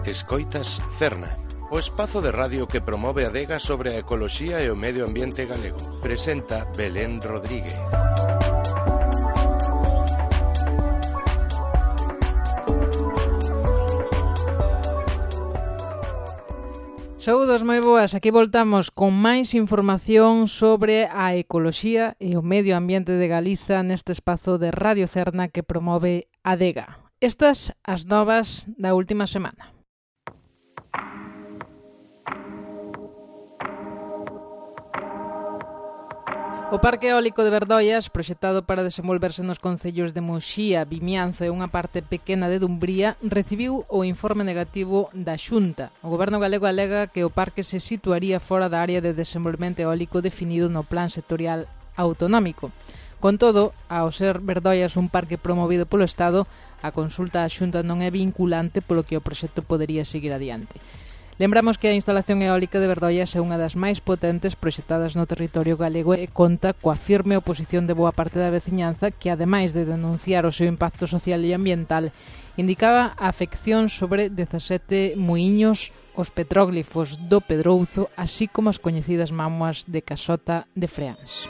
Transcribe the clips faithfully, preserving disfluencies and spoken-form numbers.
Escoitas Cerna, o espazo de radio que promove a adega sobre a ecoloxía e o medio ambiente galego. Presenta Belén Rodríguez. Saúdos moi boas, aquí voltamos con máis información sobre a ecoloxía e o medio ambiente de Galiza neste espazo de Radio Cerna que promove a adega. Estas as novas da última semana. O Parque Eólico de Verdoias, proxectado para desenvolverse nos concellos de Muxía, Vimianzo e unha parte pequena de Dumbría, recibiu o informe negativo da Xunta. O Goberno galego alega que o parque se situaría fora da área de desenvolvemento eólico definido no Plan Sectorial Autonómico. Con todo, ao ser Verdoias un parque promovido polo Estado, a consulta á Xunta non é vinculante polo que o proxecto podería seguir adiante. Lembramos que a instalación eólica de Verdoias é unha das máis potentes proxectadas no territorio galego e conta coa firme oposición de boa parte da veciñanza que, ademais de denunciar o seu impacto social e ambiental, indicaba a afección sobre dezasete muiños, os petróglifos do Pedrouzo, así como as coñecidas mámoas de Casota de Freáns.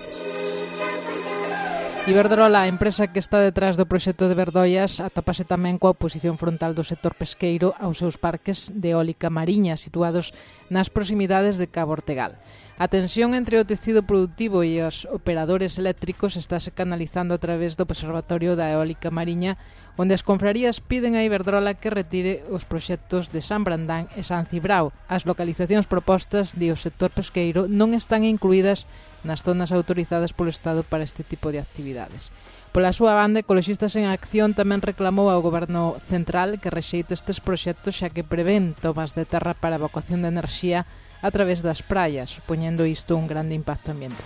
Iberdrola, a empresa que está detrás do proxecto de Verdoias, atópase tamén coa oposición frontal do sector pesqueiro aos seus parques de eólica mariña situados nas proximidades de Cabo Ortegal. A tensión entre o tecido productivo e os operadores eléctricos estáse canalizando a través do Observatorio da Eólica Mariña, onde as confrarías piden a Iberdrola que retire os proxectos de San Brandán e San Cibrao. As localizacións propostas do sector pesqueiro non están incluídas nas zonas autorizadas polo Estado para este tipo de actividades. Pola súa banda, Ecoloxistas en Acción tamén reclamou ao Goberno Central que rexeite estes proxectos xa que prevén tomas de terra para a evacuación de enerxía a través das praias, supoñendo isto un grande impacto ambiental.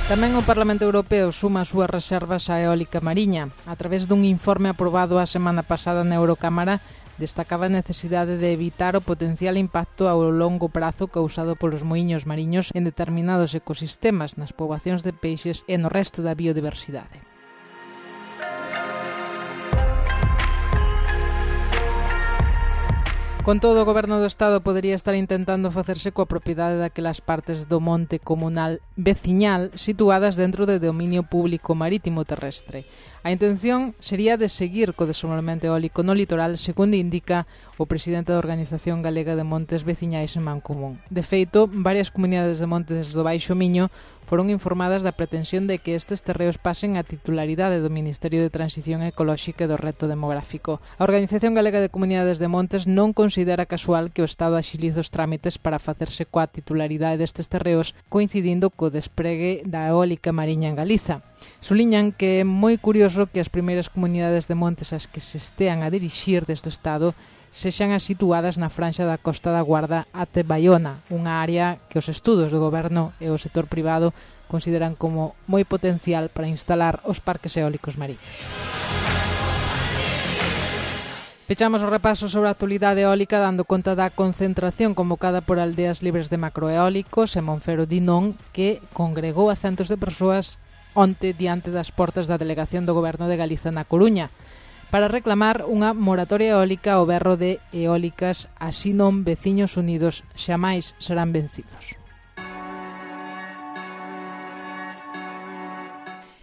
Tamén o Parlamento Europeo suma as súas reservas á eólica mariña. A través dun informe aprobado a semana pasada na Eurocámara, destacaba a necesidade de evitar o potencial impacto ao longo prazo causado polos muiños mariños en determinados ecosistemas, nas poboacións de peixes e no resto da biodiversidade. Con todo, o Goberno do Estado podería estar intentando facerse coa propiedade daquelas partes do monte comunal veciñal situadas dentro do dominio público marítimo terrestre. A intención sería de seguir co desenvolvemento eólico no litoral, segundo indica o presidente da Organización Galega de Montes Veciñais en Mancomún. De feito, varias comunidades de montes do Baixo Miño foron informadas da pretensión de que estes terreos pasen a titularidade do Ministerio de Transición Ecolóxica e do Reto Demográfico. A Organización Galega de Comunidades de Montes non considera casual que o Estado axilize os trámites para facerse coa titularidade destes terreos, coincidindo co despregue da eólica mariña en Galiza. Suliñan que é moi curioso que as primeiras comunidades de montes ás que se estean a dirixir desde o Estado sexan as situadas na franxa da Costa da Guarda até Baiona, unha área que os estudos do Goberno e o sector privado consideran como moi potencial para instalar os parques eólicos mariños. Fechamos o repaso sobre a actualidade eólica dando conta da concentración convocada por Aldeas Libres de Macroeólicos e Monfero Dinón, que congregou a centos de persoas onte diante das portas da Delegación do Goberno de Galiza na Coruña, para reclamar unha moratoria eólica ao berro de eólicas, así non veciños unidos xamais serán vencidos.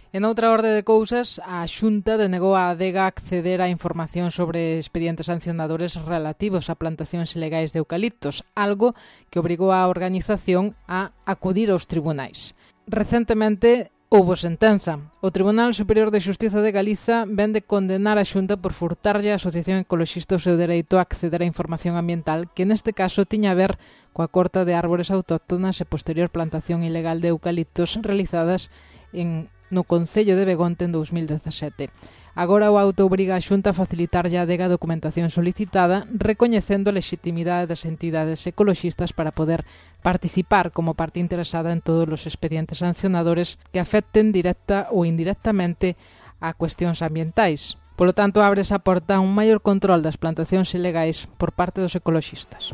En outra orde de cousas, a Xunta denegou á adega acceder á información sobre expedientes sancionadores relativos a plantacións ilegais de eucaliptos, algo que obrigou á organización a acudir aos tribunais. Recentemente, houbo sentenza. O Tribunal Superior de Xustiza de Galiza vén de condenar a Xunta por furtarlle a Asociación Ecoloxista o seu dereito a acceder á información ambiental, que neste caso tiña a ver coa corta de árbores autóctonas e posterior plantación ilegal de eucaliptos realizadas en, no Concello de Begonte en dous mil dezasete. Agora o auto obriga a Xunta a facilitarlle a adega a documentación solicitada, recoñecendo a legitimidade das entidades ecoloxistas para poder participar como parte interesada en todos os expedientes sancionadores que afecten directa ou indirectamente a cuestións ambientais. Polo tanto, abre esa porta a un maior control das plantacións ilegais por parte dos ecoloxistas.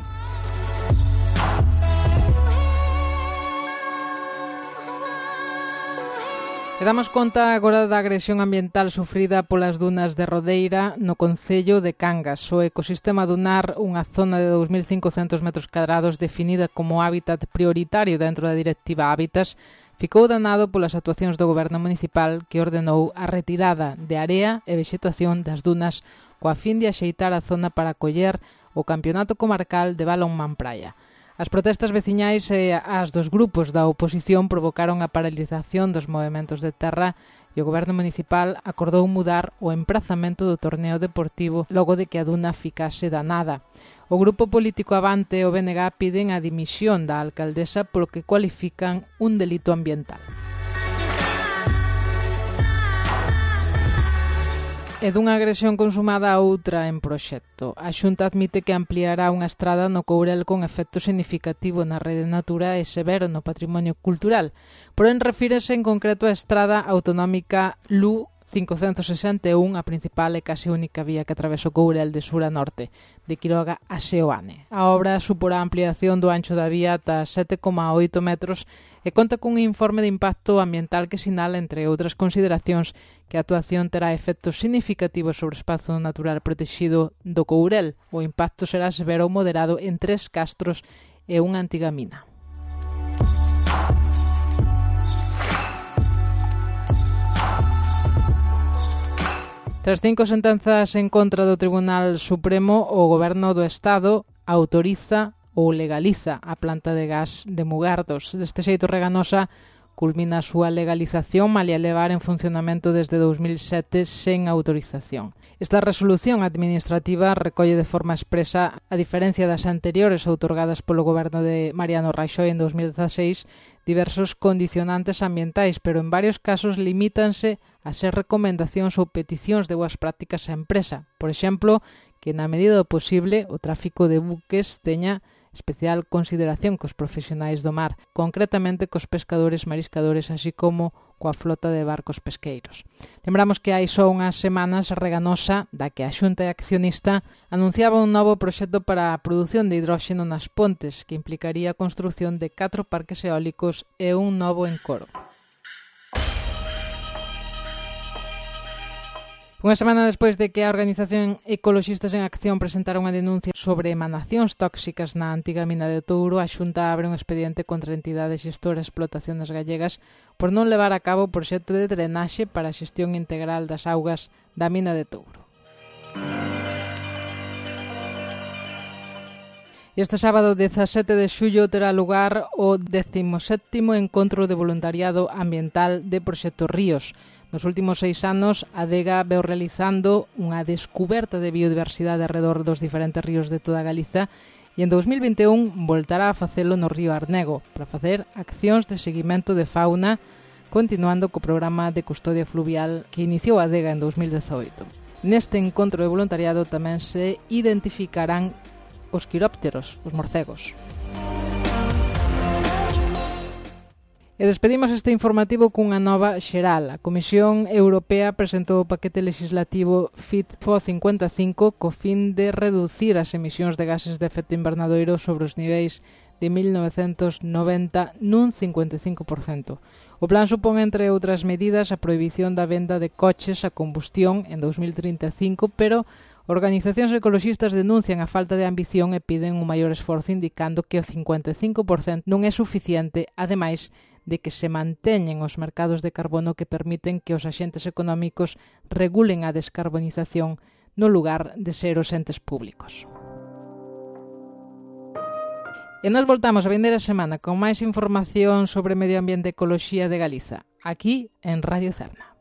E damos conta agora da agresión ambiental sufrida polas dunas de Rodeira no concello de Cangas. O ecosistema dunar, unha zona de dous mil cincocentos metros cadrados definida como hábitat prioritario dentro da Directiva Hábitats, ficou danado polas actuacións do goberno municipal que ordenou a retirada de area e vexetación das dunas coa fin de axeitar a zona para acoller o Campeonato Comarcal de Balonmán Praia. As protestas veciñais e as dos grupos da oposición provocaron a paralización dos movementos de terra e o goberno municipal acordou mudar o emprazamento do torneo deportivo logo de que a duna ficase danada. O grupo político Avante e o B N G piden a dimisión da alcaldesa polo que cualifican un delito ambiental. E dunha agresión consumada a outra en proxecto. A Xunta admite que ampliará unha estrada no Courel con efecto significativo na rede Natura e severo no patrimonio cultural. Porén, refírese en concreto a estrada autonómica L U cincocentos sesenta e un, a principal e case única vía que atravesa o Courel de sur a norte, de Quiroga a Seoane. A obra suporá a ampliación do ancho da vía ata sete coma oito metros e conta cun informe de impacto ambiental que sinala, entre outras consideracións, que a actuación terá efectos significativos sobre o espazo natural protegido do Courel. O impacto será severo ou moderado en tres castros e unha antiga mina. Tras cinco sentenzas en contra do Tribunal Supremo, o Goberno do Estado autoriza ou legaliza a planta de gas de Mugardos. Deste xeito, Reganosa culmina a súa legalización malia levar en funcionamento desde dous mil sete sen autorización. Esta resolución administrativa recolle de forma expresa, a diferencia das anteriores outorgadas polo goberno de Mariano Rajoy en dous mil dezaseis, diversos condicionantes ambientais, pero en varios casos limítanse a ser recomendacións ou peticións de boas prácticas á empresa. Por exemplo, que na medida do posible o tráfico de buques teña especial consideración cos profesionais do mar, concretamente cos pescadores mariscadores, así como coa flota de barcos pesqueiros. Lembramos que hai só unhas semanas Reganosa, da que a Xunta é accionista, anunciaba un novo proxecto para a produción de hidróxeno nas Pontes, que implicaría a construción de catro parques eólicos e un novo encoro. Unha semana despois de que a organización Ecoloxistas en Acción presentara unha denuncia sobre emanacións tóxicas na antiga mina de Touro, a Xunta abre un expediente contra entidades xestoras e explotaciones gallegas por non levar a cabo o proxecto de drenaxe para a xestión integral das augas da mina de Touro. Este sábado dezasete de xullo terá lugar o décimo sétimo Encontro de Voluntariado Ambiental de Proxecto Ríos. Nos últimos seis anos, a Adega veu realizando unha descuberta de biodiversidade alrededor dos diferentes ríos de toda Galiza e en dous mil vinte e un voltará a facelo no río Arnego para facer accións de seguimento de fauna, continuando co programa de custodia fluvial que iniciou a Adega en dous mil dezoito. Neste encontro de voluntariado tamén se identificarán os quirópteros, os morcegos. E despedimos este informativo cunha nova xeral. A Comisión Europea presentou o paquete legislativo Fit for cincuenta e cinco co fin de reducir as emisións de gases de efecto invernadoiro sobre os niveis de mil novecentos noventa nun cincuenta e cinco por cento. O plan supón, entre outras medidas, a prohibición da venda de coches a combustión en dous mil trinta e cinco, pero organizacións ecoloxistas denuncian a falta de ambición e piden un maior esforzo, indicando que o cincuenta e cinco por cento non é suficiente, ademais de que se manteñen os mercados de carbono que permiten que os axentes económicos regulen a descarbonización no lugar de ser os entes públicos. E nos voltamos a vindeira semana con máis información sobre medio ambiente e ecoloxía de Galiza, aquí en Radio Cerna.